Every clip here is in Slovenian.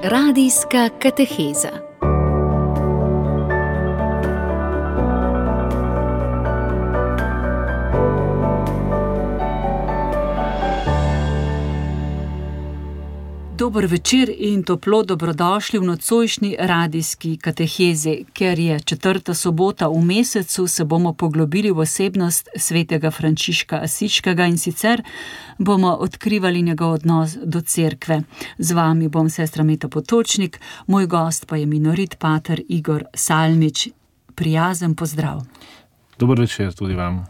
Radijska kateheza. Dober večer in toplo dobrodošli v nocojšnji radijski katehezi. Ker je 4. sobota v mesecu, se bomo poglobili v osebnost svetega Frančiška Asiškega in sicer bomo odkrivali njegov odnos do cerkve. Z vami bom sestra Meta Potočnik, moj gost pa je minorit pater Igor Salmič. Prijazen pozdrav. Dober večer tudi vam.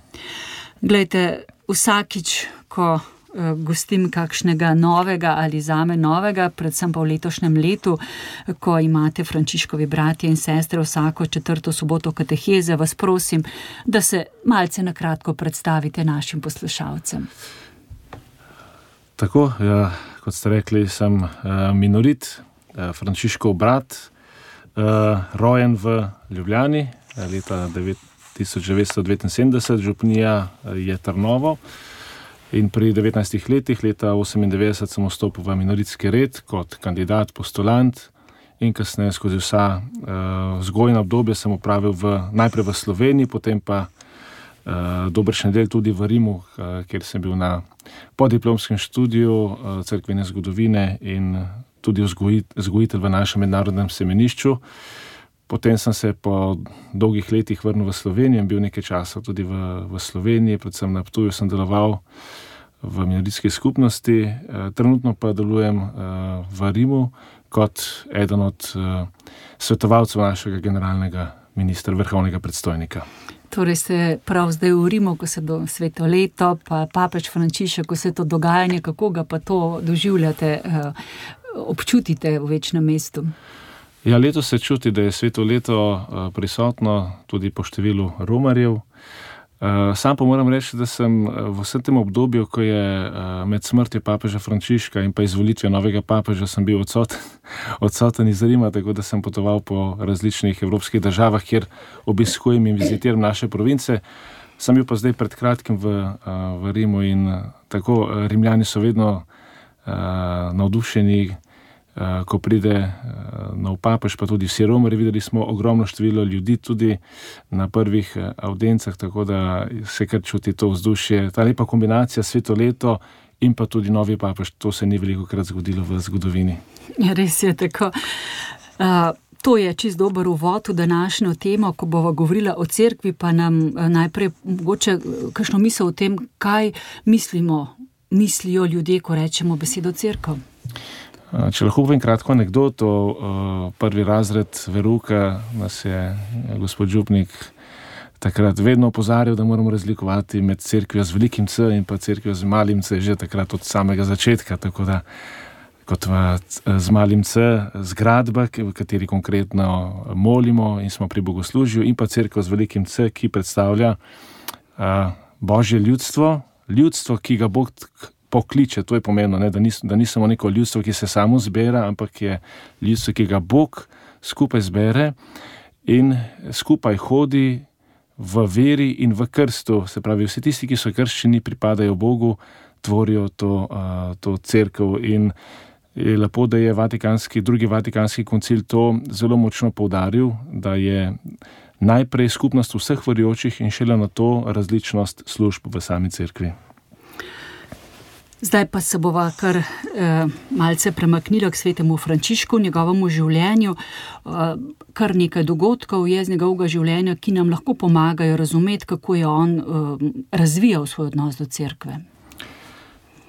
Glejte, vsakič, ko gostim kakšnega novega ali zame novega, predvsem pa v letošnjem letu, ko imate Frančiškovi bratje in sestre vsako 4. soboto kateheze, vas prosim, da se malce na kratko predstavite našim poslušalcem. Tako, ja, kot ste rekli, sem minorit, Frančiškov brat, rojen v Ljubljani, leta 1979, župnija je Trnovo. In pri 19 letih, leta 1998, sem vstopil v minoritski red kot kandidat, postulant in kasneje skozi vsa vzgojna obdobja sem opravil najprej v Sloveniji, potem pa dobršen del tudi v Rimu, kjer sem bil na podiplomskem študiju cerkvene zgodovine in tudi vzgojitelj v našem mednarodnem semenišču. Potem sem se po dolgih letih vrnil v Slovenijo in bil nekaj časa tudi v Sloveniji, predvsem na Ptuju sem deloval v minoritski skupnosti. Trenutno pa delujem v Rimu kot eden od svetovalcev našega generalnega ministra, vrhovnega predstojnika. Torej ste prav zdaj v Rimu, ko se do sveto leto, pa papež Frančišek, ko se to dogajanje, kako ga pa to doživljate, občutite v večnem mestu? Ja, letos se čuti, da je sveto leto prisotno tudi po številu romarjev. Sam pa moram reči, da sem v vsem tem obdobju, ko je med smrtjo papeža Frančiška in pa izvolitvijo novega papeža, sem bil odsoten iz Rima, tako da sem potoval po različnih evropskih državah, kjer obiskujem in vizitiram naše province. Sem bil pa zdaj pred kratkim v Rimu in tako Rimljani so vedno navdušeni, ko pride nov papež, pa tudi vsi romarji. Videli smo ogromno število ljudi tudi na prvih avdencah, tako da se kar čuti to vzdušje. Ta lepa kombinacija sveto leto in pa tudi novi papež, to se ni velikokrat zgodilo v zgodovini. Res je tako. To je čist dober uvod v današnjo temo, ko bova govorila o cerkvi, pa nam najprej mogoče kakšno misel o tem, kaj mislijo ljudje, ko rečemo besedo cerkev. Če lahko povem kratko anekdoto, prvi razred verouka nas je gospod župnik takrat vedno opozarjal, da moramo razlikovati med cerkvijo z velikim C in pa cerkvijo z malim C, že takrat od samega začetka, tako da kot z malim C zgradba, v kateri konkretno molimo in smo pri bogoslužju, in pa cerkev z velikim C, ki predstavlja Božje ljudstvo, ki ga Bog pokliče. To je pomembno, da ni samo neko ljudstvo, ki se samo zbira, ampak je ljudstvo, ki ga Bog skupaj zbere in skupaj hodi v veri in v krstu. Se pravi, vsi tisti, ki so krščeni, pripadajo Bogu, tvorijo to cerkev. In je lepo, da je drugi Vatikanski koncil to zelo močno poudaril, da je najprej skupnost vseh verujočih in šele na to različnost služb v sami cerkvi. Zdaj pa se bova kar malce premaknila k svetemu Frančišku, njegovemu življenju. Kar nekaj dogodkov je z njegovega življenja, ki nam lahko pomagajo razumeti, kako je on razvijal svoj odnos do cerkve.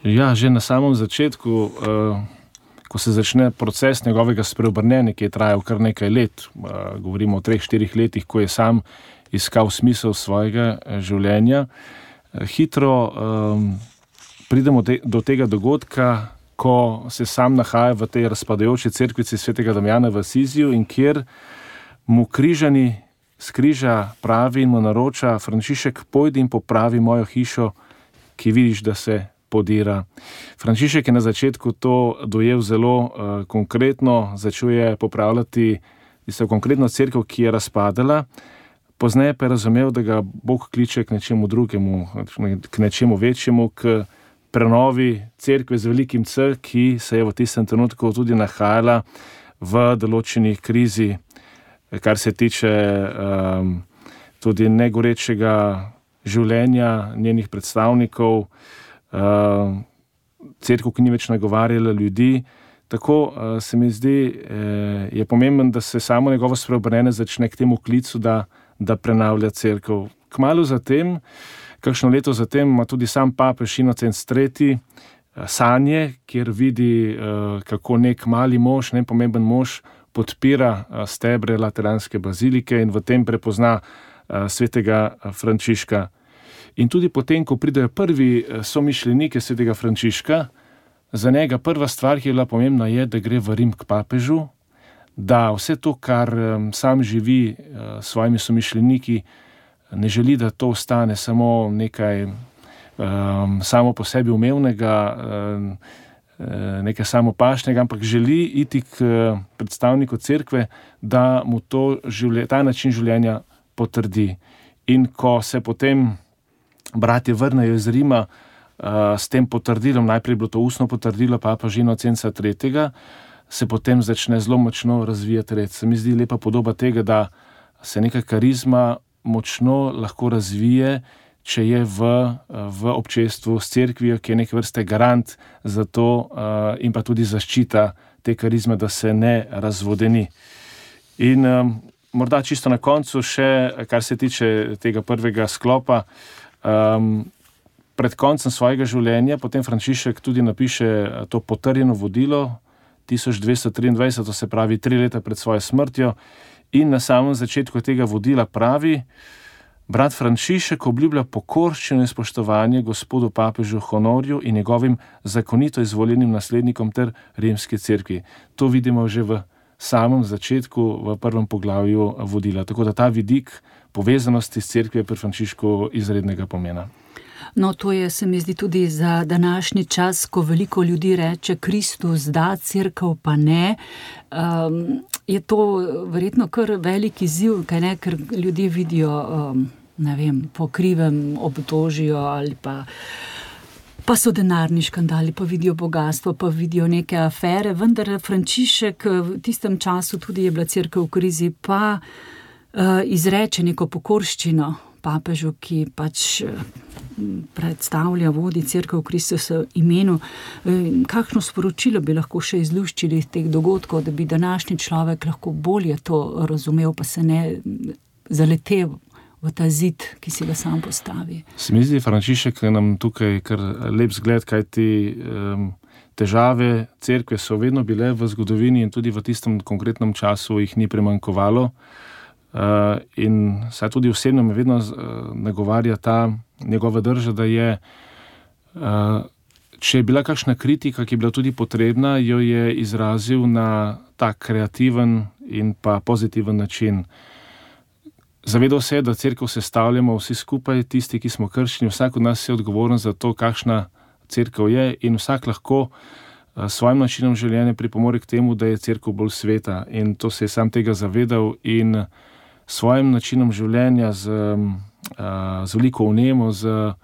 Ja, že na samem začetku, ko se začne proces njegovega spreobrnenja, ki je trajal kar nekaj let, govorimo o 3-4 letih, ko je sam iskal smisel svojega življenja, hitro pridemo do tega dogodka, ko se sam nahaja v tej razpadajoči cerkvici svetega Damjana v Asiziju in kjer mu križani s križa pravi in mu naroča: Frančišek, pojdi in popravi mojo hišo, ki vidiš, da se podira. Frančišek je na začetku to dojel zelo konkretno, začel je popravljati konkretno cerkev, ki je razpadala. Pozneje pa je razumel, da ga Bog kliče k nečemu drugemu, k nečemu večjemu, k prenovi cerkve z velikim C, ki se je v tistem trenutku tudi nahajala v določeni krizi, kar se tiče tudi negorečega življenja njenih predstavnikov, cerkev, ki ni več nagovarjala ljudi. Tako se mi zdi, je pomembno, da se samo njegovo spreobrnenje začne k temu klicu, da prenavlja cerkev. Kmalu zatem, kakšno leto zatem, ima tudi sam papež Inocenc III. Sanje, kjer vidi, kako nek mali mož, nepomemben mož, podpira stebre Lateranske bazilike in v tem prepozna svetega Frančiška. In tudi potem, ko pridejo prvi somišljeniki svetega Frančiška, za njega prva stvar, ki je bila pomembna, je, da gre v Rim k papežu, da vse to, kar sam živi s svojimi somišljeniki, ne želi, da to ostane samo nekaj samo po sebi umevnega, nekaj samopašnega, ampak želi iti k predstavniku cerkve, da mu ta način življenja potrdi. In ko se potem bratje vrnejo iz Rima s tem potrdilom, najprej je bilo to ustno potrdilo papeža Inocenca III., se potem začne zelo močno razvijati red. Se mi zdi lepa podoba tega, da se neka karizma močno lahko razvije, če je v občestvu s cerkvijo, ki je neke vrste garant za to in pa tudi zaščita te karizme, da se ne razvodeni. In morda čisto na koncu še, kar se tiče tega prvega sklopa, pred koncem svojega življenja potem Frančišek tudi napiše to potrjeno vodilo 1223, to se pravi 3 leta pred svojo smrtjo, in na samem začetku tega vodila pravi: brat Frančišek obljublja pokorščino in spoštovanje gospodu papežu Honorju in njegovim zakonito izvoljenim naslednikom ter rimski cerkvi. To vidimo že v samem začetku, v prvem poglavju vodila. Tako da ta vidik povezanosti s cerkvijo je pri Frančišku izrednega pomena. No, to je, se mi zdi, tudi za današnji čas, ko veliko ljudi reče, Kristus da, cerkev pa ne. Je to verjetno kar velik izziv, kaj ne, ker ljudje vidijo, ne vem, po krivem obtožijo ali pa so denarni škandali, pa vidijo bogatstvo, pa vidijo neke afere, vendar Frančišek v tistem času tudi je bila cerkev v krizi, pa izreče neko pokorščino papežu, ki pač predstavlja, vodi cerkev v Kristusovem imenu. Kakšno sporočilo bi lahko še izluščili iz teh dogodkov, da bi današnji človek lahko bolje to razumel, pa se ne zaletel v ta zid, ki si ga sam postavi? Se mi zdi, Frančišek nam tukaj kar lep zgled, kajti težave cerkve so vedno bile v zgodovini in tudi v tistem konkretnem času jih ni premanjkovalo. In saj tudi osebno me vedno nagovarja ta njegova drža, da je, če je bila kakšna kritika, ki je bila tudi potrebna, jo je izrazil na tak kreativen in pa pozitiven način. Zavedal se, da cerkev sestavljamo vsi skupaj, tisti, ki smo krščeni, vsak od nas je odgovoren za to, kakšna cerkev je, in vsak lahko svojim načinom življenja pripomore k temu, da je cerkev bolj sveta, in to se je sam tega zavedal in svojim načinom življenja z veliko vnemo, z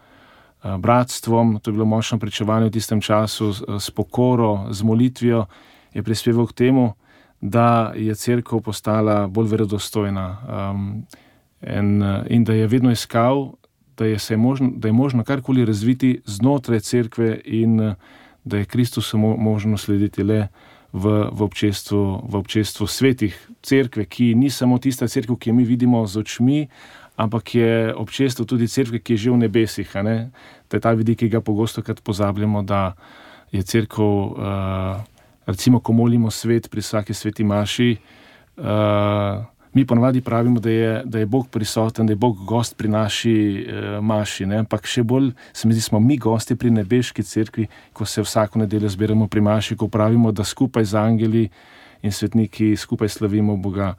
bratstvom, to je bilo močno pričevanje v tistem času, s pokoro, z molitvijo, je prispeval k temu, da je cerkev postala bolj verodostojna in da je vedno iskal, da je možno karkoli razviti znotraj cerkve in da je Kristusu možno slediti le v občestvu svetih cerkve, ki ni samo tista cerkev, ki jo mi vidimo z očmi, ampak je občestvo tudi cerkve, ki je že v nebesih. To je ta vidik, ki ga pogostokrat pozabljamo, da je cerkev, recimo, ko molimo svet pri vsaki sveti maši, mi ponavadi pravimo, da je Bog prisoten, da je Bog gost pri naši maši, ampak še bolj se mi zdi, smo mi gosti pri nebeški cerkvi, ko se vsako nedeljo zbiramo pri maši, ko pravimo, da skupaj z angeli in svetniki skupaj slavimo Boga.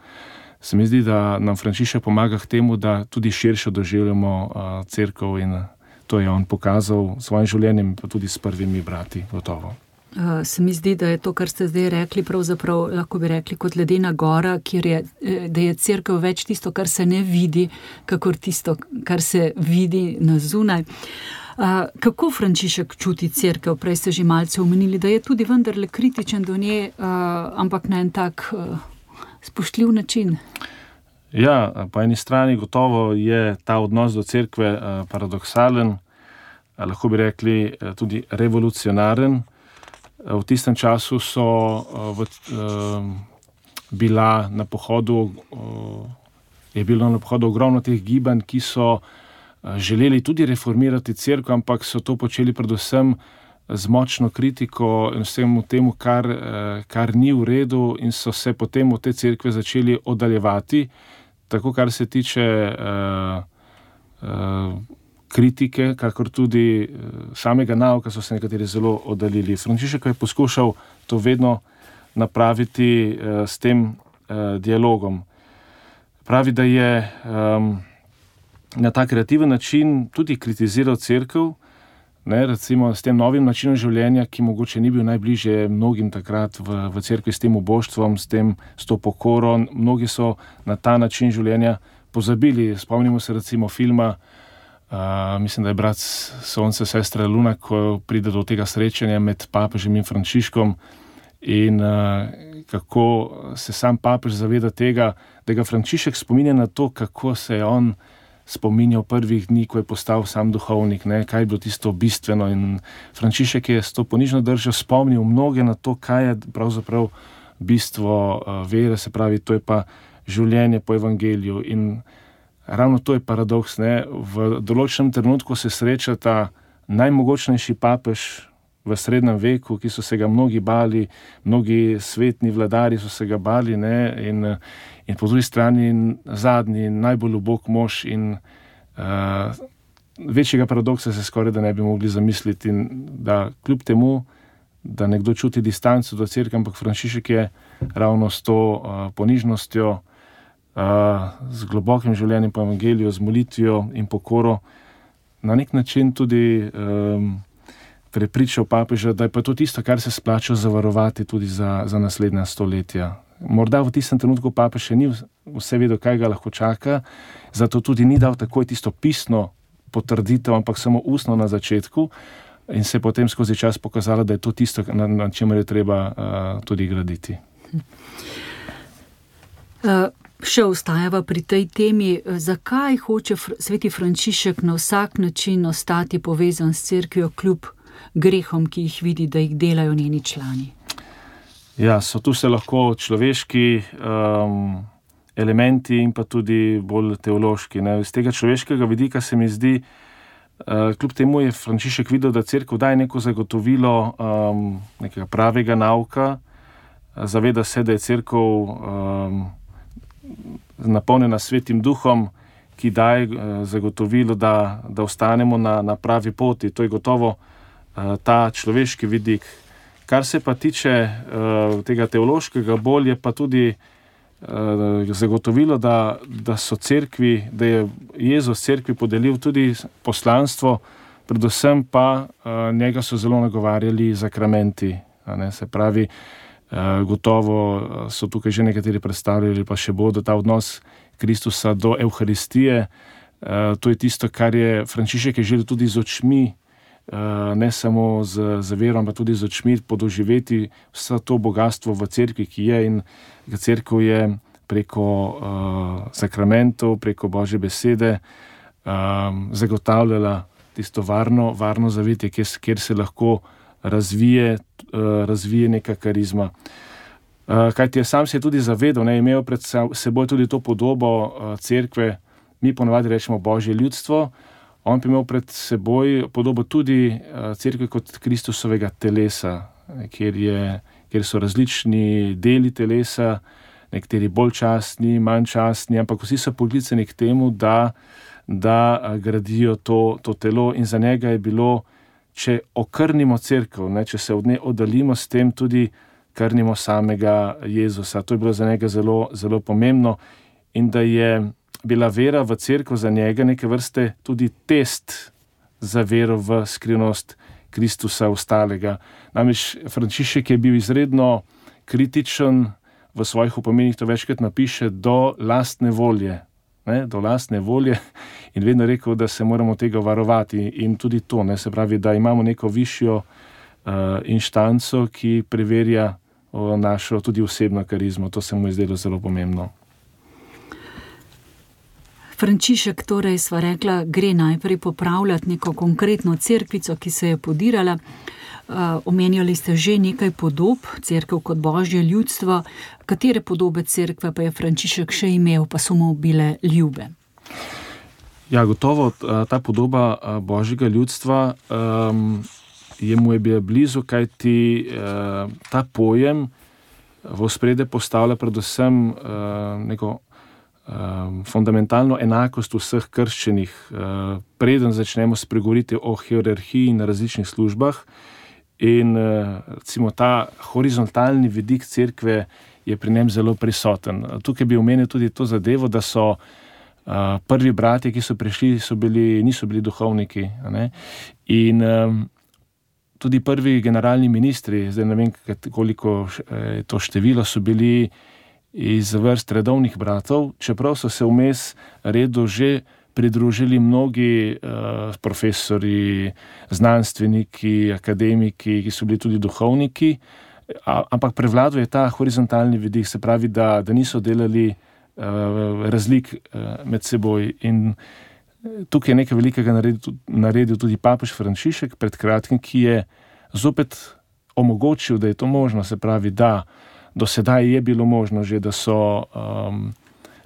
Se mi zdi, da nam Frančišek pomaga k temu, da tudi širše doživljamo cerkev, in to je on pokazal s svojim življenjem, pa tudi s prvimi brati, gotovo. Se mi zdi, da je to, kar ste zdaj rekli, pravzaprav lahko bi rekli kot ledena gora, da je cerkev več tisto, kar se ne vidi, kakor tisto, kar se vidi na zunaj. Kako Frančišek čuti cerkev? Prej ste že malce omenili, da je tudi vendarle kritičen do nje, ampak na en tak spoštljiv način. Ja, po eni strani gotovo je ta odnos do cerkve paradoksalen, lahko bi rekli tudi revolucionaren. V tistem času je bilo na pohodu ogromno teh gibanj, ki so želeli tudi reformirati cerkev, ampak so to počeli predvsem z močno kritiko in vsemu temu, kar ni v redu, in so se potem od te cerkve začeli oddaljevati. Tako kar se tiče kritike, kakor tudi samega nauka, so se nekateri zelo oddaljili. Frančišek je poskušal to vedno napraviti s tem dialogom. Pravi, da je na ta kreativen način tudi kritiziral cerkev, recimo s tem novim načinom življenja, ki mogoče ni bil najbližje mnogim takrat v cerkvi, s tem uboštvom, s to pokoro. Mnogi so na ta način življenja pozabili. Spomnimo se recimo filma, mislim, da je Brat Sonce, sestra Luna, ko pride do tega srečanja med papežem in Frančiškom, in kako se sam papež zaveda tega, da ga Frančišek spominja na to, kako se je on spominjal prvih dni, ko je postal sam duhovnik, kaj je bilo tisto bistveno. In Frančišek je s to ponižno držo spomnil mnoge na to, kaj je pravzaprav bistvo vere, se pravi, to je pa življenje po evangeliju. In ravno to je paradoks. V določenem trenutku se srečata najmogočnejši papež v srednjem veku, ki so se ga mnogi bali, mnogi svetni vladari so se ga bali, in po drugi strani zadnji, najbolj ubog mož, in večjega paradoksa se skoraj da ne bi mogli zamisliti. In da kljub temu, da nekdo čuti distanco do cerkve, ampak Frančišek je ravno s to ponižnostjo, z globokim življenjem po evangeliju, z molitvijo in pokoro na nek način tudi prepričal papeža, da je pa to tisto, kar se splača zavarovati tudi za naslednja stoletja. Morda v tistem trenutku papež še ni vse vedel, kaj ga lahko čaka, zato tudi ni dal takoj tisto pisno potrditev, ampak samo ustno na začetku, in se je potem skozi čas pokazalo, da je to tisto, na čemer je treba tudi graditi. Še ostajava pri tej temi. Zakaj hoče sveti Frančišek na vsak način ostati povezan s cerkvijo kljub grehom, ki jih vidi, da jih delajo njeni člani? Ja, so tu se lahko človeški elementi in pa tudi bolj teološki. Z tega človeškega vidika se mi zdi, kljub temu je Frančišek videl, da cerkev daje neko zagotovilo nekega pravega nauka, zaveda se, da je cerkev napolnjena svetim duhom, ki daje zagotovilo, da ostanemo na pravi poti. To je gotovo ta človeški vidik. Kar se pa tiče tega teološkega, bolj je pa tudi zagotovilo, da so cerkvi, da je Jezus cerkvi podelil tudi poslanstvo, predvsem pa njega so zelo nagovarjali zakramenti. Se pravi, gotovo so tukaj že nekateri predstavljali, pa še bodo, ta odnos Kristusa do Evharistije. To je tisto, kar je Frančišek je želel tudi z očmi, ne samo z vero, ampak tudi z očmi podoživeti vse to bogatstvo v cerkvi, ki je, in cerkev je preko sakramentov, preko Božje besede zagotavljala tisto varno zavetje, kjer se lahko razvije neka karizma. Kajti sam se je tudi zavedal, imel pred seboj tudi to podobo cerkve, mi ponavadi rečemo Božje ljudstvo, on pa imel pred seboj podobo tudi cerkve kot Kristusovega telesa, kjer so različni deli telesa, nekateri bolj častni, manj častni, ampak vsi so poklicani k temu, da gradijo to telo, in za njega je bilo, če okrnimo cerkev, če se od nje oddaljimo, s tem tudi krnimo samega Jezusa. To je bilo za njega zelo, zelo pomembno, in da je bila vera v cerkev za njega neke vrste tudi test za vero v skrivnost Kristusa ostalega. Namreč Frančišek je bil izredno kritičen, v svojih opominih to večkrat napiše, do lastne volje. do lastne volje in vedno rekel, da se moramo tega varovati in tudi to, se pravi, da imamo neko višjo inštanco, ki preverja našo tudi osebno karizmo. To se mu je zdelo zelo pomembno. Frančišek, torej sva rekla, gre najprej popravljati neko konkretno cerkvico, ki se je podirala. Omenjali ste že nekaj podob, cerkev kot božje ljudstvo. Katere podobe cerkve pa je Frančišek še imel, pa so mu bile ljube? Ja, gotovo ta podoba božjega ljudstva mu je bila blizu, kajti ta pojem v ospredje postavlja predvsem neko fundamentalno enakost vseh krščenih. Preden začnemo spregovoriti o hierarhiji na različnih službah in recimo ta horizontalni vidik cerkve je pri njem zelo prisoten. Tukaj bi omenil tudi to zadevo, da so prvi bratje, ki so prišli, niso bili duhovniki, ne? In tudi prvi generalni ministri, zdaj ne vem, koliko je to število, so bili iz vrst redovnih bratov, čeprav so se vmes redu že pridružili mnogi profesori, znanstveniki, akademiki, ki so bili tudi duhovniki, ampak prevladuje ta horizontalni vidik, se pravi, da niso delali razlik med seboj. In tukaj je nekaj velikega naredil tudi papež Frančišek pred kratkim, ki je zopet omogočil, da je to možno, se pravi, da do sedaj je bilo možno že, da so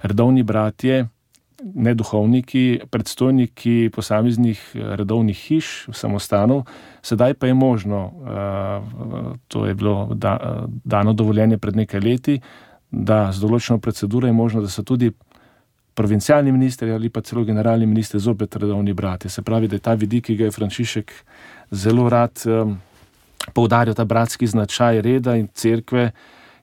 redovni bratje, neduhovniki, predstojniki posameznih redovnih hiš, samostanov, sedaj pa je možno, to je bilo dano dovoljenje pred nekaj leti, da z določeno proceduro je možno, da so tudi provincialni ministri ali pa celo generalni ministri zopet redovni bratje. Se pravi, da je ta vidik, ki ga je Frančišek zelo rad poudaril, ta bratski značaj reda in cerkve,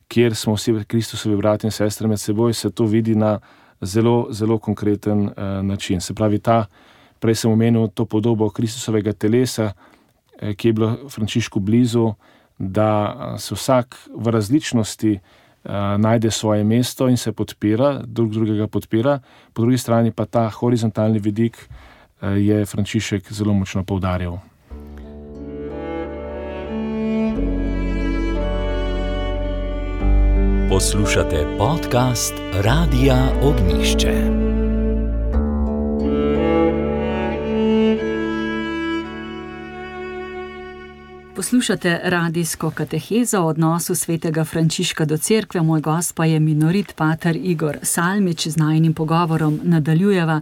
kjer smo vsi Kristusovi bratje in sestre med seboj, se to vidi na zelo, zelo konkreten način. Se pravi, prej sem omenil to podobo Kristusovega telesa, ki je bilo Frančišku blizu, da se vsak v različnosti najde svoje mesto in se podpira, drugega podpira, po drugi strani pa ta horizontalni vidik je Frančišek zelo močno poudarjal. Poslušate podcast Radia Ognjišče. Poslušate radijsko katehezo o odnosu svetega Frančiška do cerkve. Moj gost pa je minorit pater Igor Salmič. Z najinim pogovorom nadaljujeva.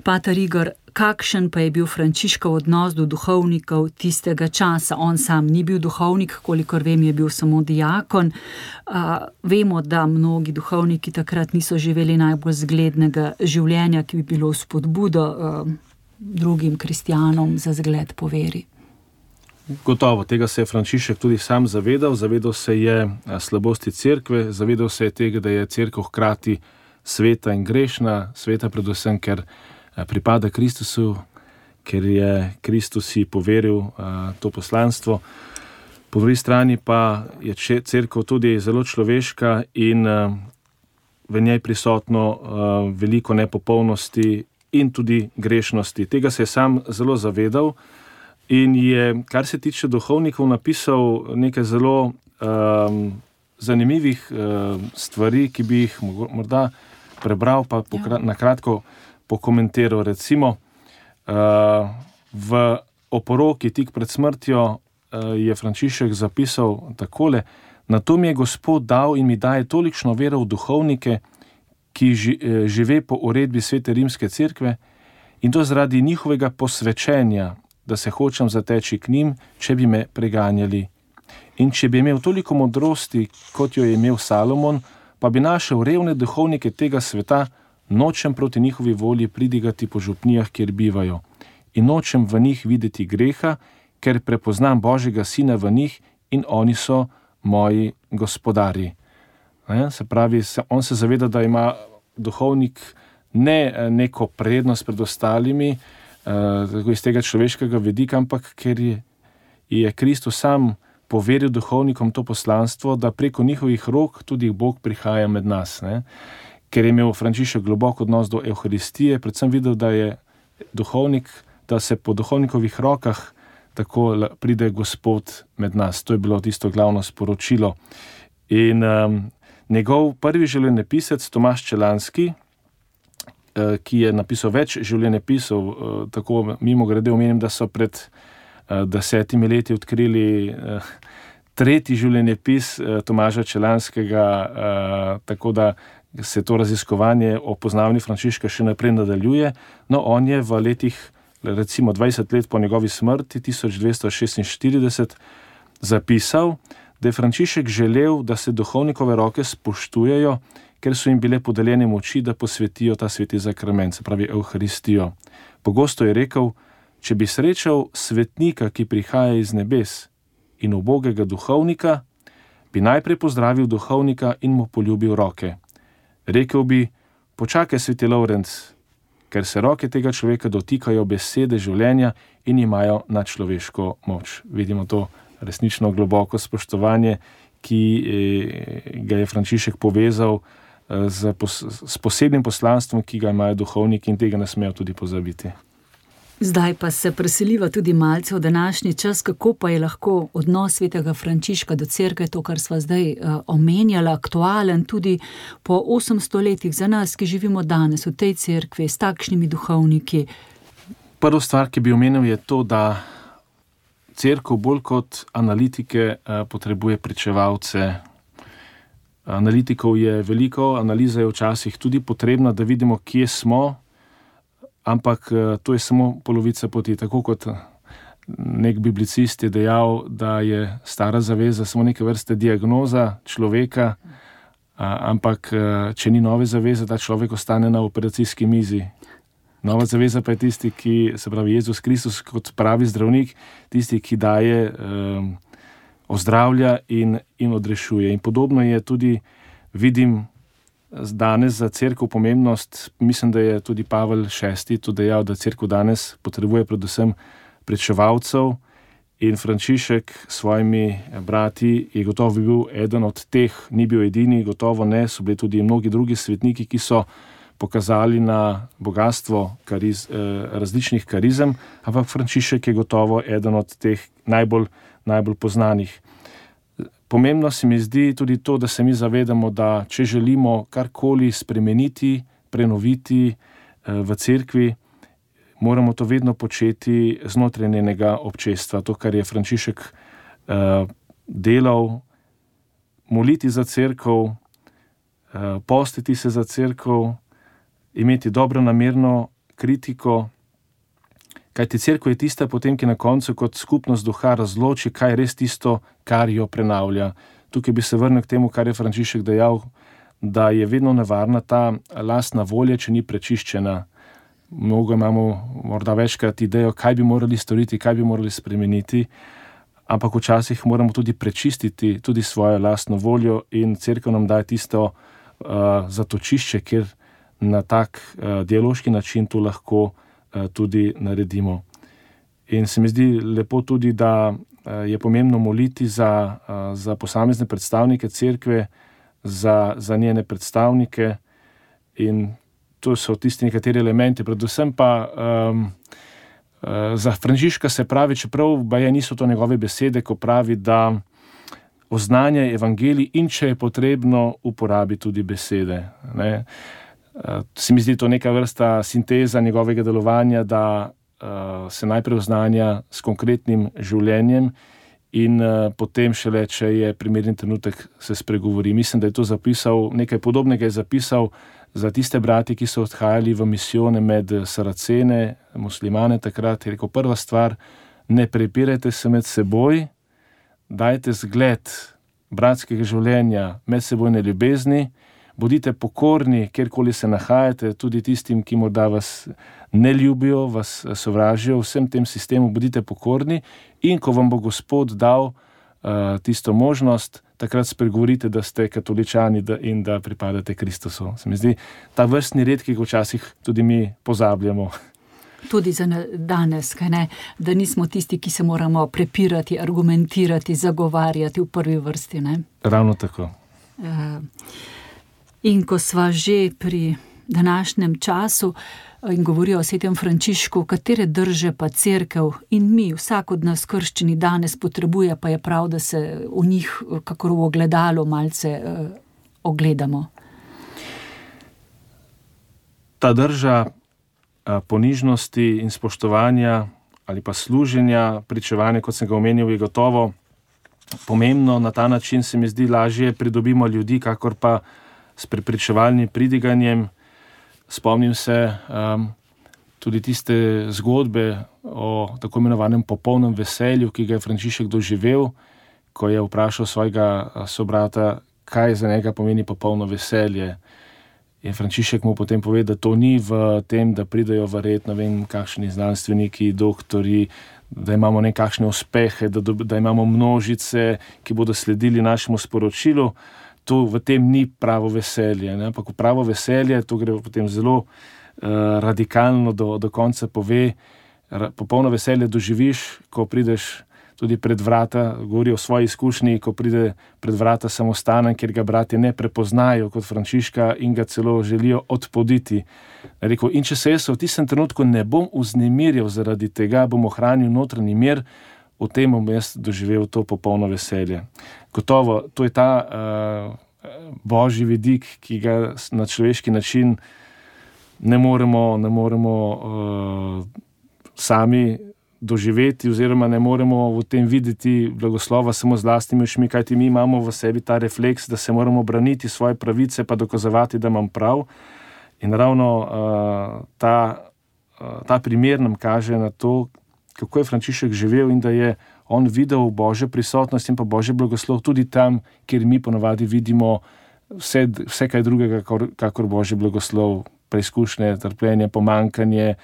Pater Igor, kakšen pa je bil Frančiškov odnos do duhovnikov tistega časa? On sam ni bil duhovnik, kolikor vem, je bil samo diakon. Vemo, da mnogi duhovniki takrat niso živeli najbolj zglednega življenja, ki bi bilo spodbudo drugim kristjanom za zgled po veri. Gotovo, tega se je Frančišek tudi sam zavedal se je slabosti cerkve, zavedal se je tega, da je cerkev hkrati sveta in grešna, sveta predvsem, ker pripada Kristusu, ker je Kristus si poveril to poslanstvo. Po drugi strani pa je cerkev tudi zelo človeška in v njej prisotno veliko nepopolnosti in tudi grešnosti. Tega se je sam zelo zavedal in je, kar se tiče duhovnikov, napisal nekaj zelo zanimivih stvari, ki bi jih morda prebral, pa na kratko pokomentiral. Recimo, v oporoki tik pred smrtjo je Frančišek zapisal takole: "Na to mi je Gospod dal in mi daje tolikšno vero v duhovnike, ki žive po uredbi Svete rimske cerkve, in to zaradi njihovega posvečenja, da se hočem zateči k njim, če bi me preganjali. In če bi imel toliko modrosti, kot jo je imel Salomon, pa bi našel revne duhovnike tega sveta, nočem proti njihovi volji pridigati po župnijah, kjer bivajo. In nočem v njih videti greha, ker prepoznam Božjega Sina v njih in oni so moji gospodarji." Se pravi, on se zaveda, da ima duhovnik ne neko prednost pred ostalimi, iz tega človeškega vidika, ampak ker je Kristus sam poveril duhovnikom to poslanstvo, da preko njihovih rok tudi Bog prihaja med nas. ker je imel Frančišek globok odnos do Evharistije, predvsem videl, da je duhovnik, da se po duhovnikovih rokah tako pride Gospod med nas. To je bilo tisto glavno sporočilo. In njegov prvi življenjepisec Tomaž Čelanski, ki je napisal več življenjepisov, tako mimogrede omenim, da so pred 10 leti odkrili tretji življenjepis Tomaža Čelanskega, tako da se to raziskovanje o poznavanju Frančiška še naprej nadaljuje. No, on je v letih, recimo 20 let po njegovi smrti, 1246, zapisal, da je Frančišek želel, da se duhovnikove roke spoštujejo, ker so jim bile podeljene moči, da posvetijo ta sveti zakrament, se pravi Evharistijo. Pogosto je rekel, če bi srečal svetnika, ki prihaja iz nebes, in ubogega duhovnika, bi najprej pozdravil duhovnika in mu poljubil roke. Rekel bi, počakaj, sveti Lovrenc, ker se roke tega človeka dotikajo besede življenja in imajo nadčloveško moč. Vidimo to resnično globoko spoštovanje, ki ga je Frančišek povezal s posebnim poslanstvom, ki ga imajo duhovniki, in tega ne smejo tudi pozabiti. Zdaj pa se preseliva tudi malce v današnji čas, kako pa je lahko odnos svetega Frančiška do cerkve, to, kar sva zdaj omenjala, aktualen tudi po 800 letih za nas, ki živimo danes v tej cerkvi s takšnimi duhovniki. Prva stvar, ki bi omenil, je to, da cerkev bolj kot analitike potrebuje pričevalce. Analitikov je veliko, analiza je včasih tudi potrebna, da vidimo, kje smo, ampak to je samo polovica poti. Tako kot nek biblicist je dejal, da je stara zaveza samo neke vrste diagnoza človeka, ampak če ni nove zaveze, ta človek ostane na operacijski mizi. Nova zaveza pa je tisti, ki, se pravi Jezus Kristus kot pravi zdravnik, tisti, ki daje, ozdravlja in odrešuje. In podobno je tudi, vidim, danes za cerkev pomembnost, mislim, da je tudi Pavel VI to dejal, da cerkev danes potrebuje predvsem pričevalcev, in Frančišek s svojimi brati je gotovo bil eden od teh, ni bil edini, gotovo ne, so bili tudi mnogi drugi svetniki, ki so pokazali na bogatstvo različnih karizem, ampak Frančišek je gotovo eden od teh najbolj poznanih. Pomembno se mi zdi tudi to, da se mi zavedamo, da če želimo karkoli spremeniti, prenoviti v cerkvi, moramo to vedno početi znotraj njenega občestva. To, kar je Frančišek delal, moliti za cerkev, postiti se za cerkev, imeti dobronamerno kritiko, kajti cerkev je tista potem, ki na koncu kot skupnost duha razloči, kaj je res tisto, kar jo prenavlja. Tukaj bi se vrnil k temu, kar je Frančišek dejal, da je vedno nevarna ta lastna volja, če ni prečiščena. Mnogo imamo morda večkrat idejo, kaj bi morali storiti, kaj bi morali spremeniti, ampak včasih moramo tudi prečistiti tudi svojo lastno voljo, in cerkev nam daje tisto zatočišče, kjer na tak dialoški način to lahko tudi naredimo. In se mi zdi lepo tudi, da je pomembno moliti za posamezne predstavnike cerkve, za njene predstavnike, in to so tisti nekateri elementi, predvsem pa za Frančiška se pravi, čeprav baje niso to njegove besede, ko pravi, da oznanja evangelij in če je potrebno, uporabi tudi besede. Ne? Se mi zdi to neka vrsta sinteza njegovega delovanja, da se najprej oznanja s konkretnim življenjem in potem šele, če je primerni trenutek, se spregovori. Mislim, da je to zapisal, nekaj podobnega je zapisal za tiste brati, ki so odhajali v misijone med Saracene, muslimane takrat. Je rekel, prva stvar, ne prepirajte se med seboj, dajte zgled bratskega življenja, medsebojne ljubezni, bodite pokorni, kjerkoli se nahajate, tudi tistim, ki morda vas ne ljubijo, vas sovražijo, vsem tem sistemu bodite pokorni, in ko vam bo Gospod dal tisto možnost, takrat spregovorite, da ste katoličani in da pripadate Kristusu. Se mi zdi ta vrstni red, ki ga včasih tudi mi pozabljamo. Tudi za danes, kaj ne? Da nismo tisti, ki se moramo prepirati, argumentirati, zagovarjati v prvi vrsti. Ne? Ravno tako. In ko sva že pri današnjem času in govorijo o svetem Frančišku, katere drže pa cerkev in mi, vsak od nas krščeni danes potrebuje, pa je prav, da se v njih, kakor v ogledalu, malce ogledamo. Ta drža ponižnosti in spoštovanja ali pa služenja, pričevanja, kot sem ga omenil, je gotovo pomembno. Na ta način se mi zdi lažje pridobimo ljudi, kakor pa s prepričevalnim pridiganjem. Spomnim se tudi tiste zgodbe o tako imenovanem popolnem veselju, ki ga je Frančišek doživel, ko je vprašal svojega sobrata, kaj za njega pomeni popolno veselje. In Frančišek mu potem pove, da to ni v tem, da pridejo verjetno, vem, kakšni znanstveniki, doktori, da imamo nekakšne uspehe, da imamo množice, ki bodo sledili našemu sporočilu. To v tem ni pravo veselje, ne? Ampak pravo veselje, to gre potem zelo radikalno do konca pove, popolno veselje doživiš, ko prideš tudi pred vrata, govori o svoji izkušnji, ko pride pred vrata samostanen, kjer ga bratje ne prepoznajo kot Frančiška in ga celo želijo odpoditi. Rekel, in če se jaz v tistem trenutku ne bom vznemirjal zaradi tega, bom ohranil notranji mir, v tem bom jaz doživel to popolno veselje. Gotovo, to je ta božji vidik, ki ga na človeški način ne moremo sami doživeti oziroma ne moremo v tem videti blagoslova samo z lastnimi očmi, kajti mi imamo v sebi ta refleks, da se moramo braniti svoje pravice pa dokazovati, da imam prav. In ravno ta primer nam kaže na to, kako je Frančišek živel in da je on videl božjo prisotnost in pa božji blagoslov tudi tam, kjer mi ponavadi vidimo vse kaj drugega, kakor božji blagoslov, preizkušnje, trpljenje, pomankanje.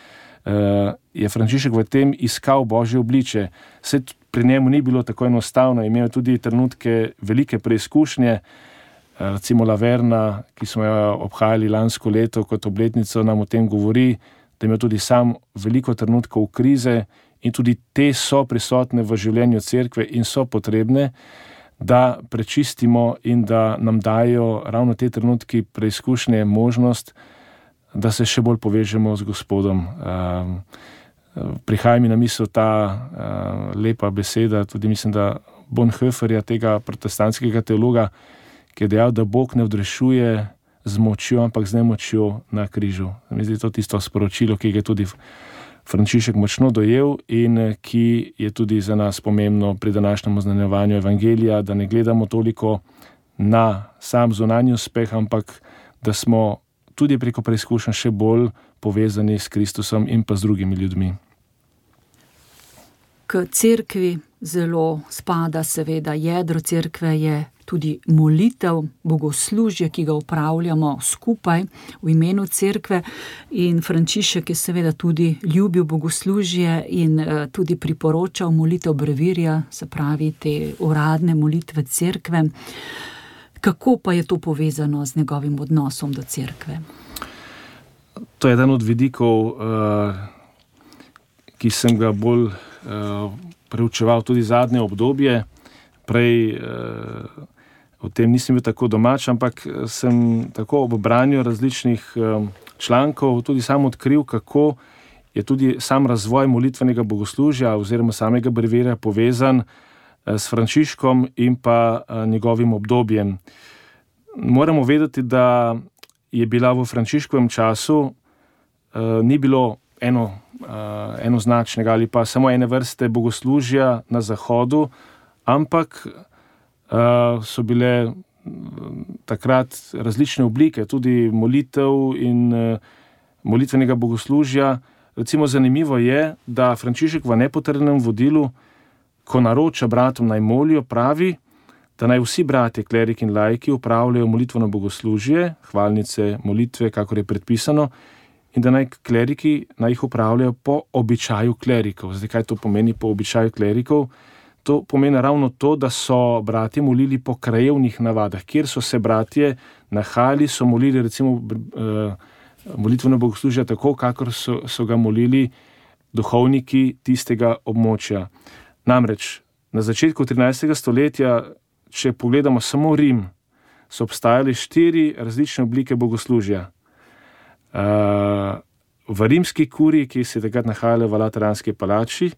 Je Frančišek v tem iskal božje obliče. Vse pri njemu ni bilo tako enostavno, imel tudi trenutke velike preizkušnje, recimo Laverna, ki smo jo obhajali lansko leto kot obletnico, nam o tem govori, da ima tudi sam veliko trenutkov krize in tudi te so prisotne v življenju cerkve in so potrebne, da prečistimo in da nam dajo ravno te trenutki preizkušnje možnost, da se še bolj povežemo z Gospodom. Prihaja mi na misel ta lepa beseda, tudi mislim, da Bonhoefferja, tega protestantskega teologa, ki je dejal, da Bog ne odrešuje z močjo, ampak z nemočjo na križu. Mi zdi to tisto sporočilo, ki ga je tudi Frančišek močno dojel in ki je tudi za nas pomembno pri današnjem oznanjevanju evangelija, da ne gledamo toliko na sam zunanji uspeh, ampak da smo tudi preko preizkušenj še bolj povezani s Kristusom in pa z drugimi ljudmi. K cerkvi zelo spada seveda jedro cerkve je tudi molitev, bogoslužje, ki ga opravljamo skupaj v imenu cerkve, in Frančišek je seveda tudi ljubil bogoslužje in tudi priporočal molitev brevirja, se pravi te uradne molitve cerkve. Kako pa je to povezano z njegovim odnosom do cerkve? To je eden od vidikov, ki sem ga bolj preučeval tudi zadnje obdobje. Prej o tem nisem bil tako domač, ampak sem tako ob branju različnih člankov tudi sam odkril, kako je tudi sam razvoj molitvenega bogoslužja oziroma samega brevirja povezan s Frančiškom in pa njegovim obdobjem. Moramo vedeti, da je bila v Frančiškovem času ni bilo enoznačnega ali pa samo ene vrste bogoslužja na Zahodu, ampak so bile takrat različne oblike, tudi molitev in molitvenega bogoslužja. Recimo zanimivo je, da Frančišek v nepotrjenem vodilu, ko naroča bratom naj molijo, pravi, da naj vsi bratje, kleriki in laiki opravljajo molitveno bogoslužje, hvalnice, molitve, kakor je predpisano, in da naj kleriki naj jih opravljajo po običaju klerikov. Zdaj, kaj to pomeni po običaju klerikov? To pomeni ravno to, da so bratje molili po krajevnih navadah. Kjer so se bratje nahajali, so molili recimo molitveno bogoslužje tako, kakor so ga molili duhovniki tistega območja. Namreč, na začetku 13. stoletja, če pogledamo samo Rim, so obstajale 4 različne oblike bogoslužja. V rimski kuriji, ki se je takrat nahajala v Lateranski palači,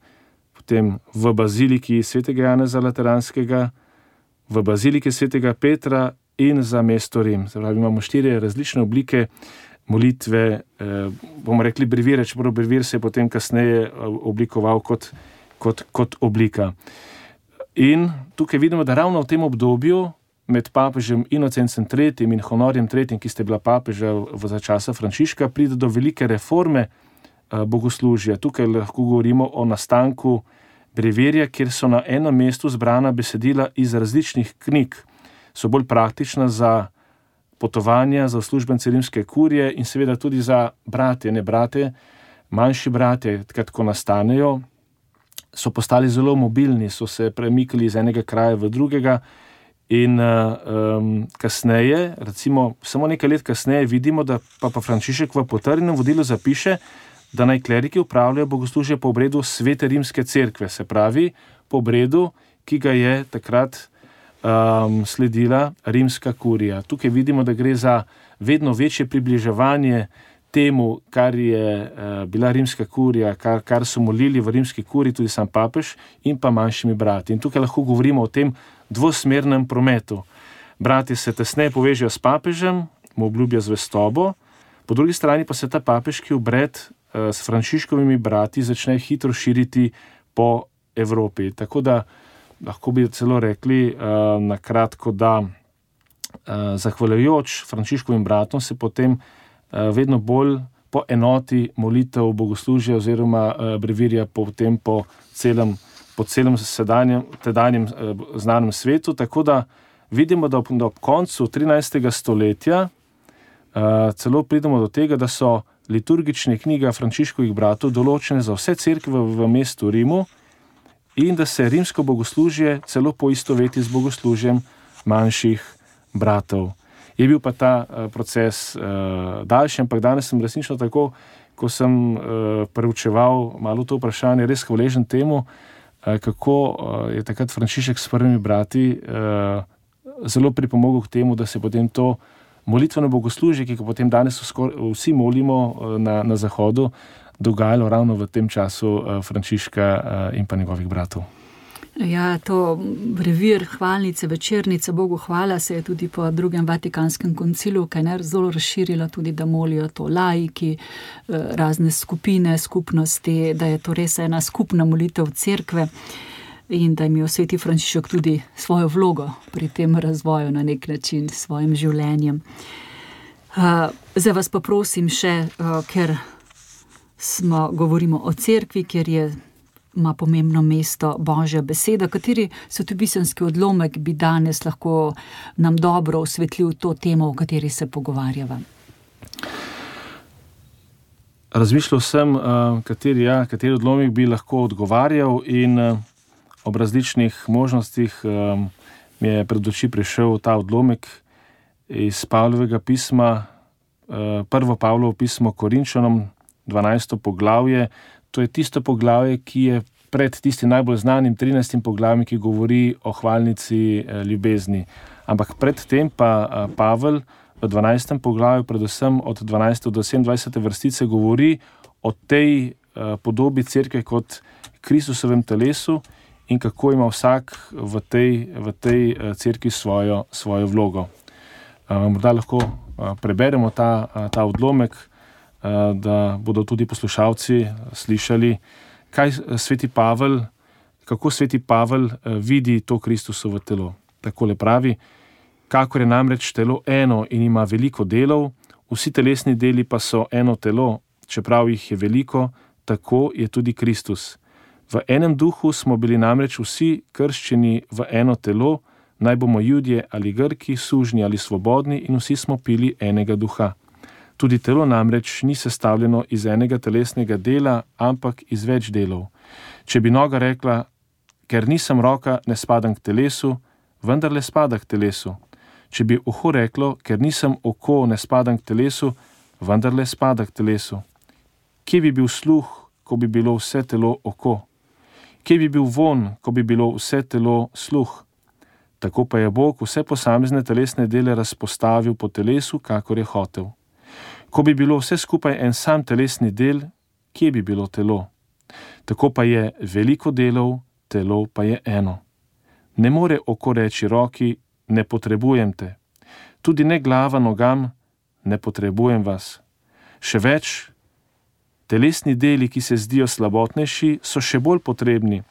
potem v baziliki svetega Janeza Lateranskega, v baziliki svetega Petra in za mesto Rim. Zdaj, imamo 4 različne oblike molitve, bomo rekli brevire, čeprav brevir se je potem kasneje oblikoval kot oblika. In tukaj vidimo, da ravno v tem obdobju med papežem Inocencem III in Honorjem III, ki sta bila papeža za časa Frančiška, pride do velike reforme bogoslužja. Tukaj lahko govorimo o nastanku brevirja, kjer so na enem mestu zbrana besedila iz različnih knjig. So bolj praktična za potovanja, za uslužbence rimske kurije in seveda tudi za bratje, ne brate, manjši bratje, ko nastanejo, so postali zelo mobilni, so se premikali iz enega kraja v drugega in kasneje, recimo samo nekaj let kasneje, vidimo, da Papa Frančišek v potrjenem vodilu zapiše, da naj kleriki upravljajo bogoslužje po obredu Svete rimske cerkve, se pravi po obredu, ki ga je takrat sledila rimska kurija. Tukaj vidimo, da gre za vedno večje približevanje temu, kar je bila rimska kurija, kar so molili v rimski kuriji tudi sam papež in pa manjšimi brati. In tukaj lahko govorimo o tem dvosmernem prometu. Bratje se tesneje povežejo s papežem, mu obljubijo zvestobo, po drugi strani pa se ta papeški obred s Frančiškovimi brati začne hitro širiti po Evropi. Tako da lahko bi celo rekli na kratko, da zahvaljujoč Frančiškovim bratom se potem vedno bolj poenoti molitev bogoslužja oziroma brevirja potem po celem tedanjem znanem svetu, tako da vidimo, da ob koncu 13. stoletja celo pridemo do tega, da so liturgične knjige Frančiškovih bratov določene za vse cerkve v mestu Rimu in da se rimsko bogoslužje celo poistoveti z bogoslužjem manjših bratov. Je bil pa ta proces daljši, ampak danes sem resnično tako, ko sem preučeval malo to vprašanje, res hvaležen temu, kako je takrat Frančišek s prvimi brati zelo pripomogel k temu, da se potem to molitveno bogoslužje, ki ga potem danes vsi molimo na Zahodu, dogajalo ravno v tem času Frančiška in pa njegovih bratov. Ja, to brevir, hvalnice, večernice, Bogu hvala, se je tudi po drugem Vatikanskem koncilu, kaj ne, zelo razširila tudi, da molijo to laiki, razne skupine, skupnosti, da je to res ena skupna molitev cerkve in da ima sveti Frančišek tudi svojo vlogo pri tem razvoju na nek način s svojim življenjem. Zdaj vas pa prosim še, ker govorimo o cerkvi, ker ima pomembno mesto Božja beseda. Kateri svetopisemski odlomek bi danes lahko nam dobro osvetlil to temo, o kateri se pogovarjava? Razmišljal sem, kateri odlomek bi lahko odgovarjal in ob različnih možnostih mi je pred oči prišel ta odlomek iz Pavlovega pisma, prvo Pavlovo pismo Korinčanom, 12. poglavje. To je tisto poglavje, ki je pred tistim najbolj znanim 13. poglavjem, ki govori o hvalnici ljubezni. Ampak predtem pa Pavel v 12. poglavju, predvsem od 12. do 27. vrstice, govori o tej podobi cerkve kot Kristusovem telesu in kako ima vsak v tej cerkvi svojo vlogo. Morda lahko preberemo ta odlomek, da bodo tudi poslušalci slišali, kako sveti Pavel vidi to Kristusovo telo. Takole pravi: kakor je namreč telo eno in ima veliko delov, vsi telesni deli pa so eno telo, čeprav jih je veliko, tako je tudi Kristus. V enem duhu smo bili namreč vsi krščeni v eno telo, naj bomo Judje ali Grki, sužnji ali svobodni, in vsi smo pili enega duha. Tudi telo namreč ni sestavljeno iz enega telesnega dela, ampak iz več delov. Če bi noga rekla, ker nisem roka, ne spadam k telesu, vendarle spada k telesu. Če bi uho reklo, ker nisem oko, ne spadam k telesu, vendarle spada k telesu. Kje bi bil sluh, ko bi bilo vse telo oko? Kje bi bil vonj, ko bi bilo vse telo sluh? Tako pa je Bog vse posamezne telesne dele razpostavil po telesu, kakor je hotel. Ko bi bilo vse skupaj en sam telesni del, kje bi bilo telo? Tako pa je veliko delov, telo pa je eno. Ne more oko reči roki, ne potrebujem te. Tudi ne glava nogam, ne potrebujem vas. Še več, telesni deli, ki se zdijo slabotnejši, so še bolj potrebni.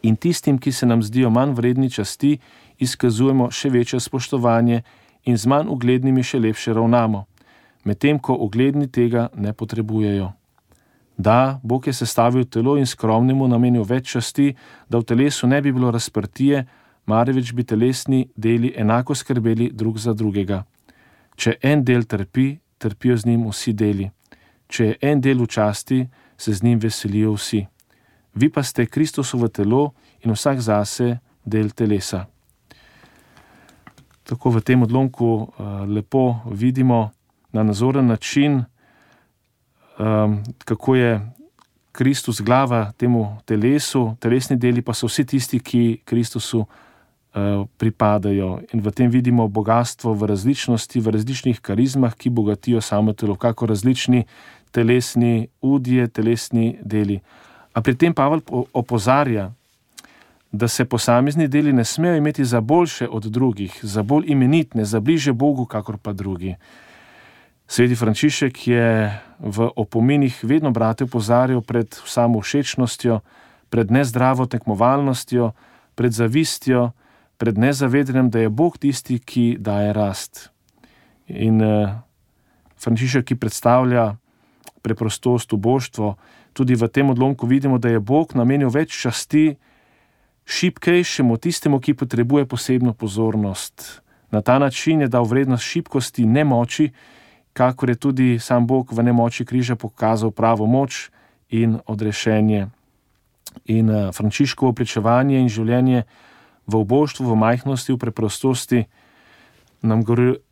In tistim, ki se nam zdijo manj vredni časti, izkazujemo še večje spoštovanje in z manj uglednimi še lepše ravnamo, medtem ko ugledni tega ne potrebujejo. Da, Bog je sestavil telo in skromnemu namenil več časti, da v telesu ne bi bilo razprtije, marveč bi telesni deli enako skrbeli drug za drugega. Če en del trpi, trpijo z njim vsi deli. Če je en del v časti, se z njim veselijo vsi. Vi pa ste Kristusovo telo in vsak zase del telesa. Tako v tem odlomku lepo vidimo na nazoren način, kako je Kristus glava temu telesu, telesni deli pa so vsi tisti, ki Kristusu pripadajo. In v tem vidimo bogatstvo v različnosti, v različnih karizmah, ki bogatijo samo telo, kako različni telesni udje, telesni deli. A pri tem Pavel opozarja, da se posamezni deli ne smejo imeti za boljše od drugih, za bolj imenitne, za bliže Bogu, kakor pa drugi. Sveti Frančišek je v opominih vedno brate opozarjal pred samovšečnostjo, pred nezdravo tekmovalnostjo, pred zavistjo, pred nezavedanjem, da je Bog tisti, ki daje rast. In Frančišek, ki predstavlja preprostost, uboštvo, tudi v tem odlomku vidimo, da je Bog namenil več časti šibkejšemu, tistemu, ki potrebuje posebno pozornost. Na ta način je dal vrednost šibkosti nemoči, kakor je tudi sam Bog v nemoči križa pokazal pravo moč in odrešenje. In Frančiškovo pričevanje in življenje v uboštvu, v majhnosti, v preprostosti nam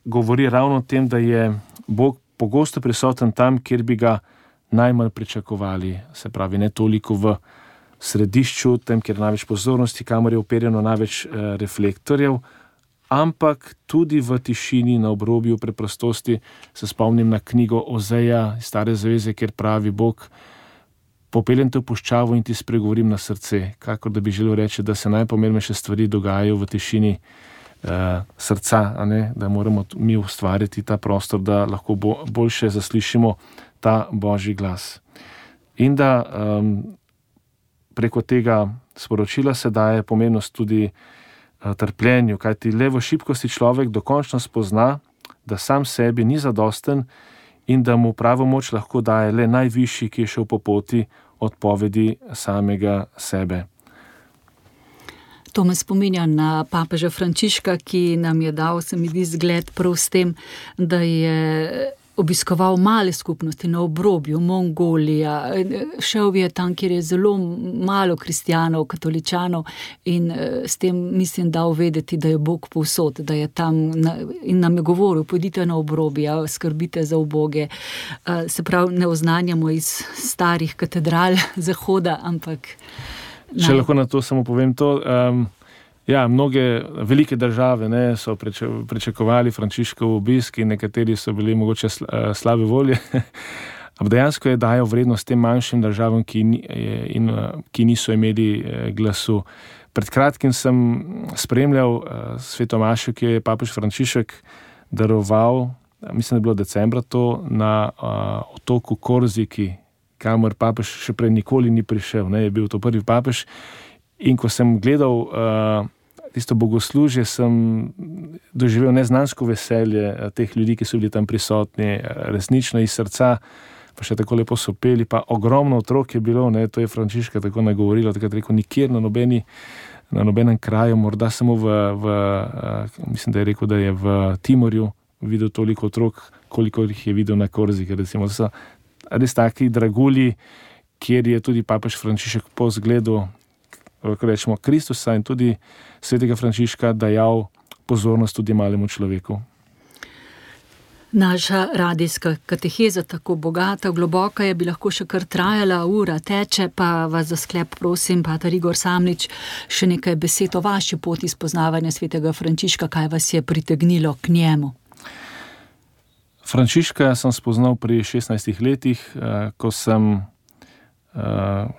govori ravno o tem, da je Bog pogosto prisoten tam, kjer bi ga najmanj pričakovali. Se pravi, ne toliko v središču, tam, kjer je največ pozornosti, kamor je uperjeno največ reflektorjev, ampak tudi v tišini, na obrobju preprostosti. Se spomnim na knjigo Ozeja iz Stare zaveze, kjer pravi Bog: popeljem te v puščavo in ti spregovorim na srce. Kakor da bi želel reči, da se najpomembnejše stvari dogajajo v tišini srca, a ne? Da moramo mi ustvariti ta prostor, da lahko boljše zaslišimo ta Božji glas. In da preko tega sporočila se daje pomembnost tudi trpljenju, kajti le v šibkosti človek dokončno spozna, da sam sebi ni zadosten in da mu pravo moč lahko daje le najvišji, ki je šel po poti odpovedi samega sebe. To me spominja na papeža Frančiška, ki nam je dal, se mi zdi, zgled prav s tem, da je obiskoval male skupnosti na obrobju, Mongolija, šel je tam, kjer je zelo malo kristjanov, katoličanov in s tem mislim dal vedeti, da je Bog povsod, da je tam in nam je govoril: pojdite na obrobja, skrbite za uboge. Se pravi, ne oznanjamo iz starih katedral Zahoda, ampak... Če lahko na to samo povem to, mnoge velike države so pričakovali Frančiškov obisk in nekateri so bili mogoče slabe volje. Ampak dejansko je dajal vrednost tem manjšim državam, ki niso imeli glasu. Pred kratkim sem spremljal svetomašo, ki je papež Frančišek daroval, mislim, da je bilo decembra to, na otoku Korziki, kamor papež še prej nikoli ni prišel. Je bil to prvi papež. In ko sem gledal tisto bogoslužje, sem doživel neznansko veselje teh ljudi, ki so bili tam prisotni, resnično iz srca, pa še tako lepo so peli, pa ogromno otrok je bilo, to je Frančiška tako nagovorilo, takrat rekel, nikjer na nobenem kraju, morda samo mislim, da je rekel, da je v Timorju videl toliko otrok, koliko jih je videl na Korziki, recimo. To so res taki dragulji, kjer je tudi papež Frančišek po zgledu, rečemo, Kristusa in tudi svetega Frančiška dajal pozornost tudi malemu človeku. Naša radijska kateheza tako bogata, globoka je, bi lahko še kar trajala, ura teče, pa vas za sklep prosim, pater Igor Samlič, še nekaj besed o vaši poti spoznavanja svetega Frančiška, kaj vas je pritegnilo k njemu? Frančiška sem spoznal pri 16 letih, ko sem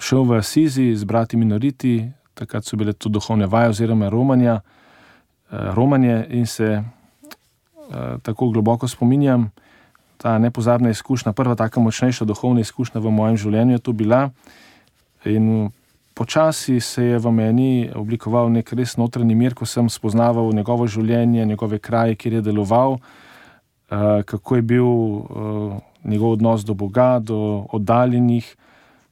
šel v Asizi z brati minoriti, takrat so bile to duhovne vaje oziroma romanje in se tako globoko spominjam, ta nepozabna izkušnja, prva taka močnejša duhovna izkušnja v mojem življenju je to bila in počasi se je v meni oblikoval nek res notranji mir, ko sem spoznaval njegovo življenje, njegove kraje, kjer je deloval, kako je bil njegov odnos do Boga, do oddaljenih.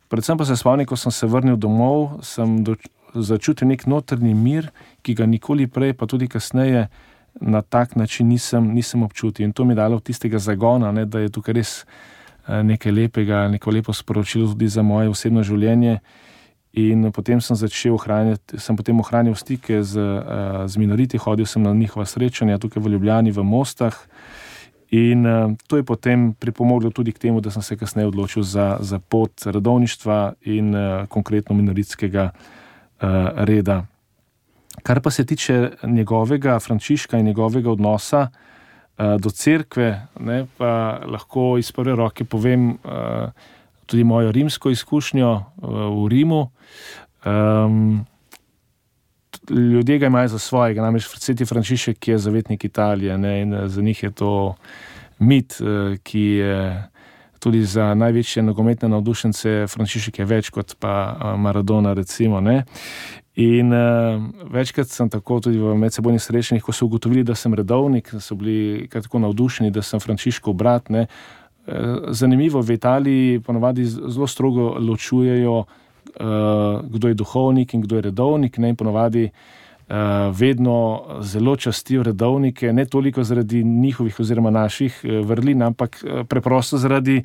Predvsem pa se spomnim, ko sem se vrnil domov, sem začutil nek notranji mir, ki ga nikoli prej, pa tudi kasneje, na tak način nisem občutil. In to mi je dalo tistega zagona, ne, da je tukaj res nekaj lepega, neko lepo sporočilo tudi za moje osebno življenje. In potem sem ohranil stike z minoriti, hodil sem na njihova srečanja tukaj v Ljubljani, v Mostah. In to je potem pripomoglo tudi k temu, da sem se kasneje odločil za pot redovništva in konkretno minoritskega reda. Kar pa se tiče njegovega Frančiška in njegovega odnosa do cerkve, ne, pa lahko iz prve roke povem tudi mojo rimsko izkušnjo v Rimu. Ljudje ga imajo za svojega, namreč sveti Frančišek je zavetnik Italije, ne, in za njih je to mit, ki je tudi za največje nogometne navdušence Frančišek je več kot pa Maradona, recimo, ne. In večkrat sem tako tudi v medsebojnih srečanjih, ko so ugotovili, da sem redovnik, so bili tako navdušeni, da sem Frančiškov brat, ne. Zanimivo, v Italiji ponovadi zelo strogo ločujejo, kdo je duhovnik in kdo je redovnik, ne, in ponovadi vedno zelo častijo redovnike, ne toliko zaradi njihovih oziroma naših vrlin, ampak preprosto zaradi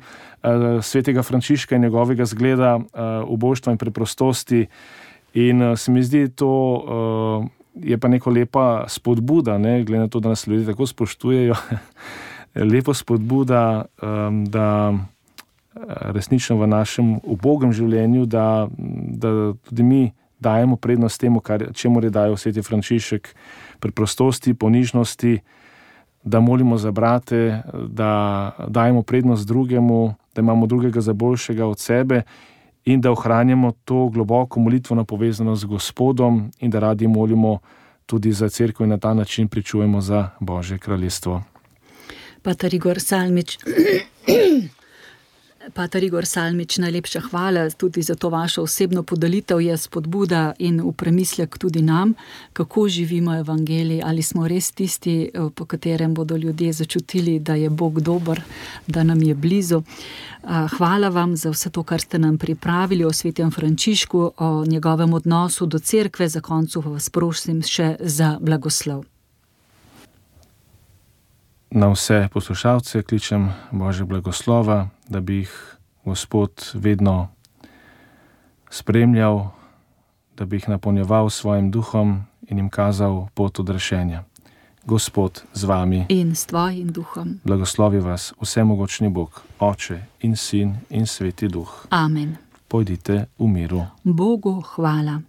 svetega Frančiška in njegovega zgleda ubožstva in preprostosti. In se mi zdi, to je pa neko lepa spodbuda, ne, glede na to, da nas ljudje tako spoštujejo, lepo spodbuda, da resnično v našem ubogem življenju, da tudi mi dajemo prednost temu, čemur je dajal sveti Frančišek, preprostosti, ponižnosti, da molimo za brate, da dajemo prednost drugemu, da imamo drugega za boljšega od sebe in da ohranjamo to globoko molitveno povezanost z Gospodom in da radi molimo tudi za cerkev in na ta način pričujemo za Božje kraljestvo. Pater Igor Salmič, najlepša hvala tudi za to vašo osebno podelitev, je spodbuda in v premislek tudi nam, kako živimo evangelij, ali smo res tisti, po katerem bodo ljudje začutili, da je Bog dober, da nam je blizu. Hvala vam za vse to, kar ste nam pripravili o svetem Frančišku, o njegovem odnosu do cerkve. Za koncu vas prosim še za blagoslov. Na vse poslušalce kličem Božje blagoslova, da bi jih Gospod vedno spremljal, da bi jih napolnjeval svojim duhom in jim kazal pot odrešenja. Gospod z vami in s tvojim duhom. Blagoslovi vas vsemogočni Bog, Oče in Sin in Sveti Duh. Amen. Pojdite v miru. Bogu hvala.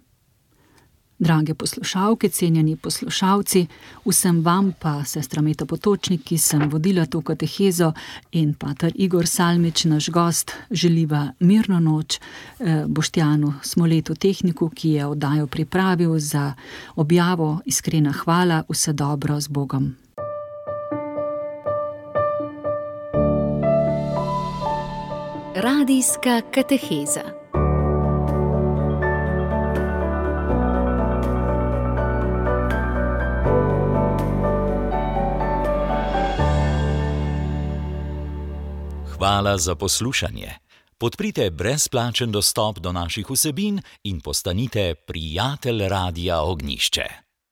Drage poslušalke, cenjeni poslušalci, vsem vam pa, sestra Meta Potočnik, ki sem vodila to katehezo, in pater Igor Salmič, naš gost, želiva mirno noč, Boštjanu Smoletu, tehniku, ki je oddajo pripravil, za objavo iskrena hvala, vse dobro, z Bogom. Radijska kateheza. Hvala za poslušanje. Podprite brezplačen dostop do naših vsebin in postanite prijatelj Radia Ognjišče.